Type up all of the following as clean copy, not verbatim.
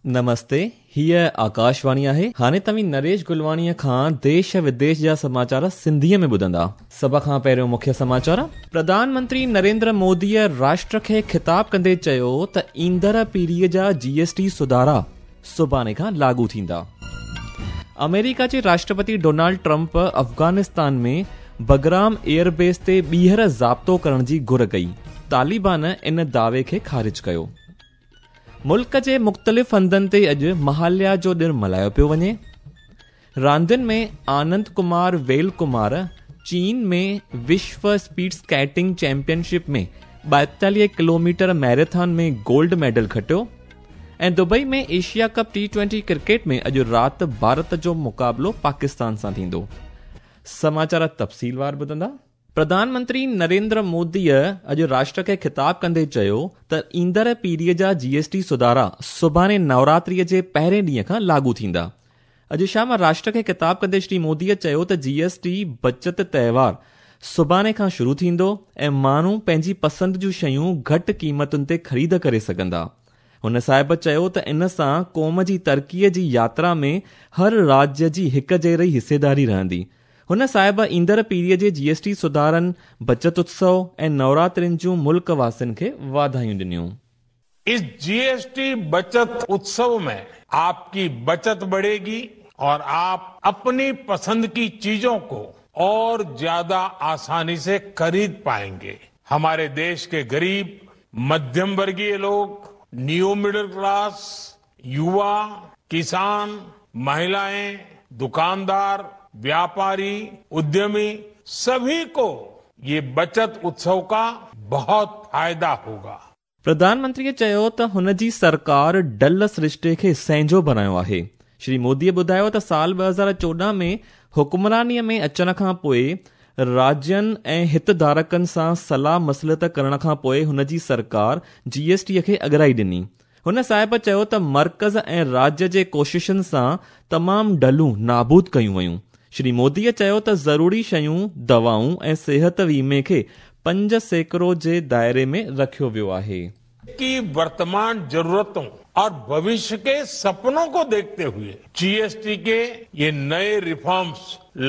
نمستي، هيء آڪاشواڻي آهي. هاڻي توهين نريش گلواڻيء کان ديش وديش جا سماچار سنڌيء ۾ ٻڌندا. سڀ کان پهريون مکيه سماچار. پرڌان منتري نريندر موديء راشٽر کي خطاب ڪندي چيو ته ايندڙ پيڙهيء جا جي ايس ٽي سڌارا سڀاڻي کان لاڳو ٿيندا. آمريڪا جي Rashtrapati Donald Trump Afghanistan ۾ Bagram air base تي ٻيهر ضابطو ڪرڻ جي گهر ڪئي. طالبان ان دعوي کي خارج ڪيو. ملڪ جي مختلف هنڌن تي اڄ مهاليا جو ڏڻ ملهايو پيو وڃي. راندين ۾ آنند ڪمار ويل ڪمار چين ۾ وشو speed skating championship ۾ 42 kilometre marathon ۾ gold medal کٽيو ۽ Dubai ۾ Asia cup T twenty cricket ۾ اڄ رات ڀارت جو مقابلو پاڪستان سان ٿيندو. سماچار تفصيلوار ٻڌندا. پرڌان منتري نريندر موديء اڄ راشٽر کي خطاب ڪندي چيو ته ايندڙ پيڙهيء جا جي ايس ٽي سڌارا سڀاڻي نوراتريء جي پهرين ڏينهن کان لاڳو ٿيندا. اڄ شام راشٽر کي خطاب ڪندي شري موديء چيو ته جي ايس ٽي بچت تهوار سڀاڻي کان شروع ٿيندو ۽ ماڻهو پنهنجي پسند جون شيون گهٽ قيمتن تي خريد ڪري سگهندا. هن صاحب چيو ته ان سان قوم جي ترقيء جي ياترا ۾ هر راجيه جي هڪ جهڙي حصيداري رهندي. هن صاحب ايندڙ پيڙهيء جي جي ايس ٽي سڌارن، بچت اتسو ۽ نوراترين جون ملڪ واسين کي واڌايون ڏنيون. اس جي ايس ٽي بچت اتسو ۾ آپ ڪي بچت بڙهيگي اور آپ اپني پسند ڪي چيزون ڪو اور زياده آساني سي خريد پائينگي. هماري ديش ڪي غريب، مڌيم ورگيه لوگ، نيو مڊل ڪلاس، يووا، ڪسان، مهلائين، دڪاندار، وياپاري، اديمي سڀي ڪو يي بچت اتسو ڪا بهت فائده هوگا. پرڌان منتريء چيو ته هن جي سرڪار ڍل سرشتي کي سهنجو بڻايو آهي. شري موديء ٻڌايو ته سال 2014 ۾ حڪمرانيء ۾ اچڻ کان پوء راجين ۽ هتڌارڪن سان صلاح مصلحت ڪرڻ کان پوء هن جي سرڪار جي ايس ٽي کي اڳرائي ڏني. هن صاحب چيو ته مرڪز ۽ راجيه جي ڪوششن سان تمام ڍلون نابود ڪيون ويون. شري موديء چيو ته ضروري شيون، دوائون ۽ صحت ويمي کي 5% جي دائري ۾ رکيو ويو آهي. ڪي ورتمان ضرورتون اور ڀوشيه ڪي سپنون ڪو ديکتي هوئي جي ايس ٽي ڪي يي نئي ريفارمز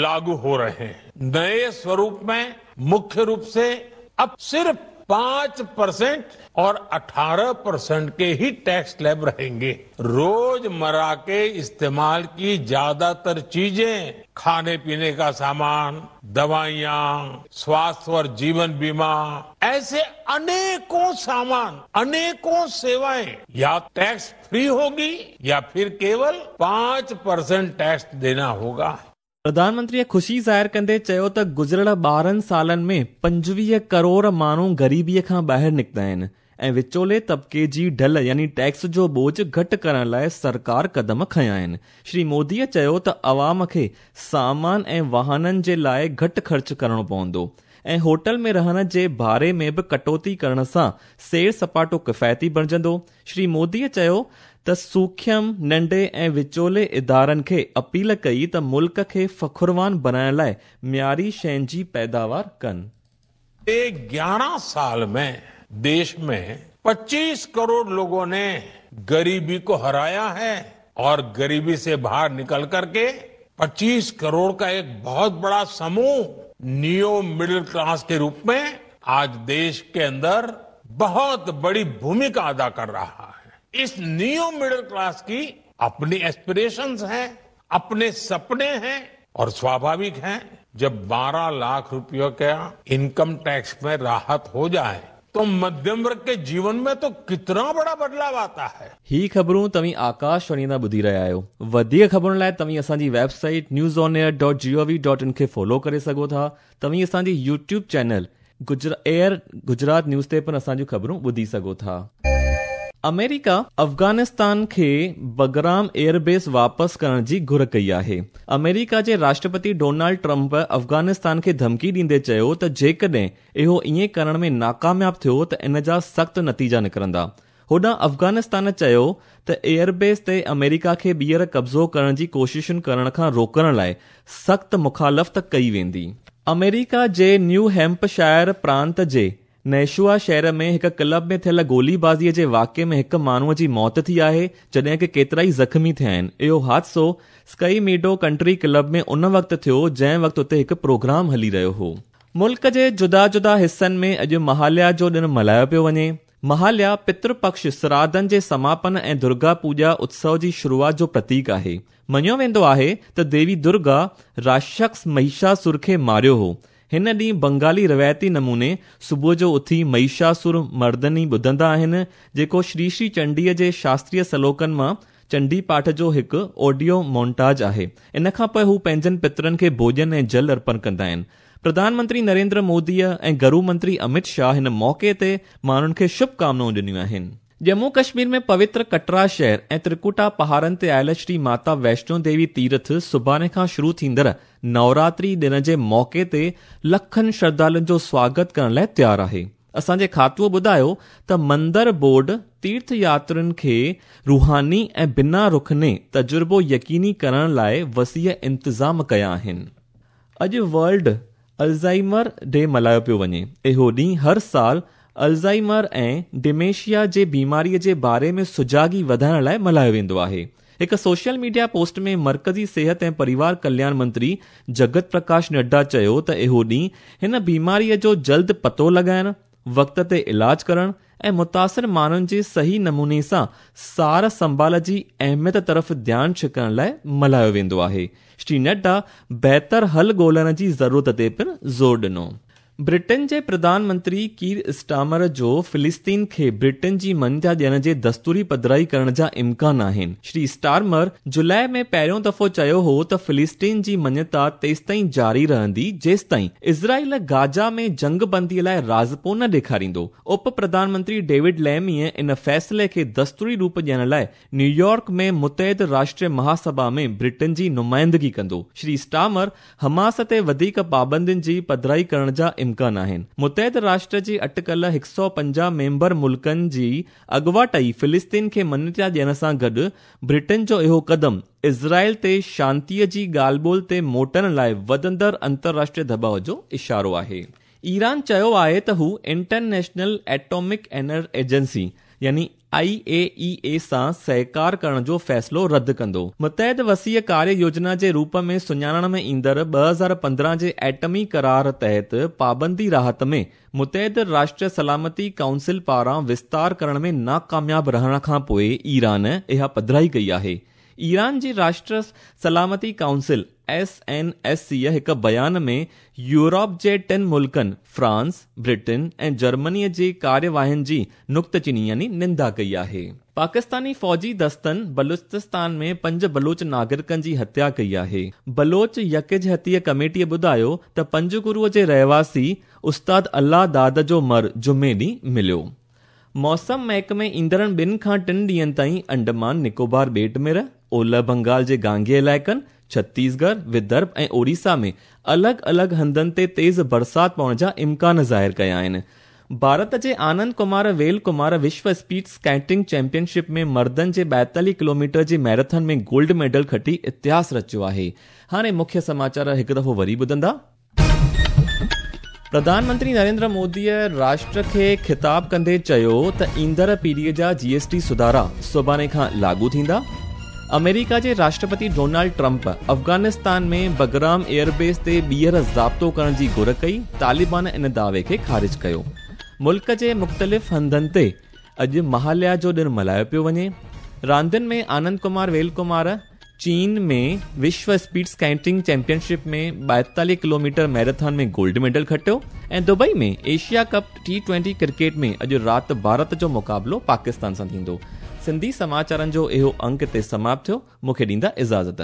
لاڳو هو رهي هين. نئي سوروپ ۾ مکيه روپ سي اب صرف 5% اور 18% ڪي هي ٽيڪس سليب رهينگي. روز مره ڪي استعمال ڪي زياده تر چيزين، کاني پيني ڪا سامان، دوائيان، سواستھ اور جيون بيما، ايسي انيڪون سامان، انيڪون سيوائين يا ٽيڪس فري هوگي يا ڦر ڪيول 5% ٽيڪس دينا هوگا. پرڌان منتريء خوشي ظاهر ڪندي چيو ته گذريل 12 سالن ۾ 25 ڪروڙ ماڻهو غريبي کان ٻاهر نڪتا آهن ۽ وچولي طبقي جي ڍل يعني ٽيڪس جو ٻوجهه گهٽ ڪرڻ لاء سرڪار قدم کنيا آهن. شري موديء چيو ته عوام کي سامان ۽ واهنن جي لاء گهٽ خرچ ڪرڻو پوندو ۽ هوٽل ۾ رهڻ جي ڀاڙي ۾ به ڪٽوتي ڪرڻ سان سير سپاٽو ڪفايتي بڻجندو. شري موديء چيو ته سوکيم، ننڍي ۽ وچولي ادارن کي اپيل ڪئي ته ملڪ کي فخروان بڻائڻ لاء معياري شين جي پيداوار ڪن. 11 سال ۾ ديش ۾ 25 ڪروڙ لوگون ني غريبي ڪو هرايا هي اور غريبي سي باهر نڪل ڪر ڪي 25 ڪروڙ ڪا ايڪ بهت بڙا سموه نيو مڊل ڪلاس ڪي روپ ۾ آج ديش ڪي اندر بهت بڙي ڀوميڪا ادا ڪر رها هي. اس نيو مڊل ڪلاس ڪي اپني ايسپريشنز هين، اپني سپني هين اور سواڀاوڪ هين جب 12 لاک روپيو ڪا انڪم ٽيڪس ۾ راحت هو جائي تو مڌيم ورگ ڪي جيون ۾ تو ڪتنا بڙا بدلاء آتا هي. هي خبرون توهين آڪاش واڻي تان ٻڌي رهيا آهيو. وڌيڪ خبرن لاء توهين اسان جي web site news on air dot G O V dot in کي فالو ڪري سگهو ٿا. توهين اسان جي YouTube channel air Gujarat news تي پڻ اسان جون خبرون ٻڌي سگهو ٿا. آمريڪا افغانستان کي بگرام ايئر بيس واپس ڪرڻ جي گهر ڪئي آهي. آمريڪا جي راشٽرپتي ڊونالڊ ٽرمپ افغانستان کي ڌمڪي ڏيندي چيو ته جيڪڏهن اهو ائين ڪرڻ ۾ ناڪامياب ٿيو ته ان جا سخت نتيجا نڪرندا. هوڏانهن افغانستان چيو ته ايئربيس تي آمريڪا کي ٻيهر قبضو ڪرڻ جي ڪوششن ڪرڻ کان روڪڻ لاء سخت مخالفت ڪئي ويندي. آمريڪا جي نيو هيمپشائر پرانت جي نيشوا شهر ۾ هڪ ڪلب ۾ ٿيل گوليبازيء جي واقعي ۾ هڪ ماڻهوء جي موت ٿي آهي، جڏهن ڪه ڪيترائي زخمي ٿيا آهن. اهو حادثو اسڪائي ميڊو ڪنٽري ڪلب ۾ ان وقت ٿيو، جنهن وقت اتي هڪ پروگرام هلي رهيو هو. ملڪ جي جدا جدا حصن ۾ اڄ مهاليا جو ڏڻ ملهايو پيو وڃي. مهاليا پتر پڪش سراڌن جي سماپن ۽ درگا پوڄا اتسو جي شروعات جو پرتيڪ آهي. مڃيو ويندو آهي ته ديوي درگا راشڪس مهيشاسر کي ماريو هو. هن ڏينهن بنگالي روايتي نموني صبح جو اٿي مهيشاسر مردني ٻڌندا آهن، جيڪو شري شري چنڊيء جي شاستريه سلوڪن مان چنڊي پاٺ جو هڪ آڊيو مونٽاج آهي. ان کان پوء هو پنهنجن پترن کي ڀوڄن ۽ جل ارپڻ ڪندا آهن. پرڌان منتري نريندر موديء ۽ گرو منتري امت شاهه هن موقعي تي ماڻهن کي شڀ ڪامنائون ڏنيون آهن. ڄمون ڪشمير ۾ پوتر ڪٽرا شهر ۽ ترڪوٽا پهاڙن تي آيل شري ماتا ويشنو ديوي تيرٿ سڀاڻي کان شروع ٿيندڙ نوراتري ڏڻ جي موقعي تي لکن شرڌالن جو سواگت ڪرڻ لاء تيار آهي. اسان جي کاتوء ٻڌايو ته مندر بورڊ تيرٿ ياترين کي روحاني ۽ بنا رخني تجربو يقيني ڪرڻ لاء وسيع انتظام ڪيا آهن. اڄ ورلڊ الزائمر ڊي ملهايو پيو وڃي. اهو ڏينهن هر سال الزائمر ۽ ڊيمينشيا جي بيماري جي باري ۾ سجاڳي وڌائڻ لاء ملهايو ويندو آهي. هڪ سوشل ميڊيا پوسٽ ۾ مرڪزي صحت ۽ پريوار ڪلياڻ منتري جگت پرڪاش نڊا چيو ته اهو ڏينهن هن بيماري جو جلد پتو لڳائڻ، وقت تي علاج ڪرڻ ۽ متاثر ماڻهن جي صحيح نموني سان سار سنڀال جي اهميت طرف ڌيان ڇڪڻ لاء ملهايو ويندو آهي. شري نڊا بهتر حل ڳولڻ جي ضرورت تي پڻ زور ڏنو. برٽن جي پرڌان منتري ڪير اسٽارمر جو فلسطين کي برٽن جي مڃتا ڏيڻ جي دستوري پڌرائي ڪرڻ جا امڪان آهن. شري اسٽارمر جولاء ۾ پهريون دفعو چيو هو ته فلسطين جي مڃتا تيستائين جاري رهندي جيستائين اسرائيل گازا ۾ جنگ بندي لاء راضپو نه ڏيکاريندو. اپ پرڌان منتري ڊيوڊ ليميء ان فيصلي کي دستوري روپ ڏيڻ لاء نيويارڪ ۾ متحد راشٽر مهاسڀا ۾ برٽن جي نمائندگي ڪندو. شري اسٽارمر حماس تي وڌيڪ پابندين جي پڌرائي ڪرڻ جا امڪان آهن. متحد راشٽر جي اٽڪل 150 ميمبر ملڪن جي اڳواٽ ئي فلسطين کي مڃتا ڏيڻ سان گڏ برٽن جو اهو قدم اسرائيل تي شانتيء جي ڳالهه ٻولهه تي موٽڻ لاء وڌندڙ انترراشٽريه دٻاء جو اشارو آهي. ايران چيو آهي ته هو انٽرنيشنل ايٽامڪ اينر ايجنسي يعني آء اي اي اي سان سهڪار ڪرڻ جو فيصلو رد ڪندو. متحد وسيع ڪاريه يوجنا جي روپ ۾ سڃاڻڻ ۾ ايندڙ 2015 جي ايٽمي قرار تحت پابندي راحت ۾ متحد راشٽر سلامتي ڪائونسل پاران وستار ڪرڻ ۾ ناڪامياب رهڻ کانپوء ايران اها پڌرائي ڪئي آهي. ايران جي راشٽر سلامتي ڪائونسل، ايس اين ايس سيء هڪ بيان ۾ يورپ جي ٽن ملڪن فرانس، برٽن ۽ جرمنيء جي ڪاررواين جي نڪتچيني يعني نندا ڪئي آهي. پاڪستاني فوجي دستن بلوچستان ۾ پنج بلوچ ناگرڪن جي هتيا ڪئي آهي. بلوچ يڪجهتي ڪميٽيء ٻڌايو ته پنجگور جي رهواسي استاد الله داد جو مر جمعي ڏينهن مليو. موسم محڪمي ايندڙ ٻن کان ٽن ڏينهن تائين انڊمان نڪوبار ٻيٽ مر، اولهه بنگال جي گانگي علائقن، ڇتيسڳڙهه، ودرڀ ۽ اوڙيسا ۾ الڳ الڳ هنڌن تي تيز برسات پوڻ جا امڪان ظاهر ڪيا آهن. ڀارت جي آنند ڪمار ويل ڪمار وشو اسپيڊ اسڪيٽنگ چيمپيئن شپ ۾ مردن جي 42 ڪلوميٽر جي ميراٿن ۾ گولڊ ميڊل کٽي اتهاس رچيو آهي. هاڻي مکيه سماچار هڪ دفعو وري ٻڌندا. پرڌان منتري نريندر موديء راشٽر کي خطاب ڪندي چيو ته ايندڙ پيڙهيء جا جي ايس ٽي سڌارا سڀاڻي کان لاڳو ٿيندا. آمريڪا جي Rashtrapati Donald Trump Afghanistan ۾ Bagram airbase تي ٻيهر ضابطو ڪرڻ جي گهر ڪئي، طالبان ان دعوي کي خارج ڪيو. ملڪ جي مختلف هنڌن تي اڄ مهاليا جو ڏڻ ملهايو پيو وڃي. راندين ۾ آنند ڪمار ويل ڪمار چين ۾ وشو speed skating championship ۾ 42 kilometre marathon ۾ gold medal کٽيو ۽ Dubai ۾ Asia cup T twenty cricket ۾ اڄ رات ڀارت جو مقابلو پاڪستان سان ٿيندو. سنڌي سماچارن جو اهو انڪ هتي سماپت ٿيو. مون کي ڏيندا اجازت.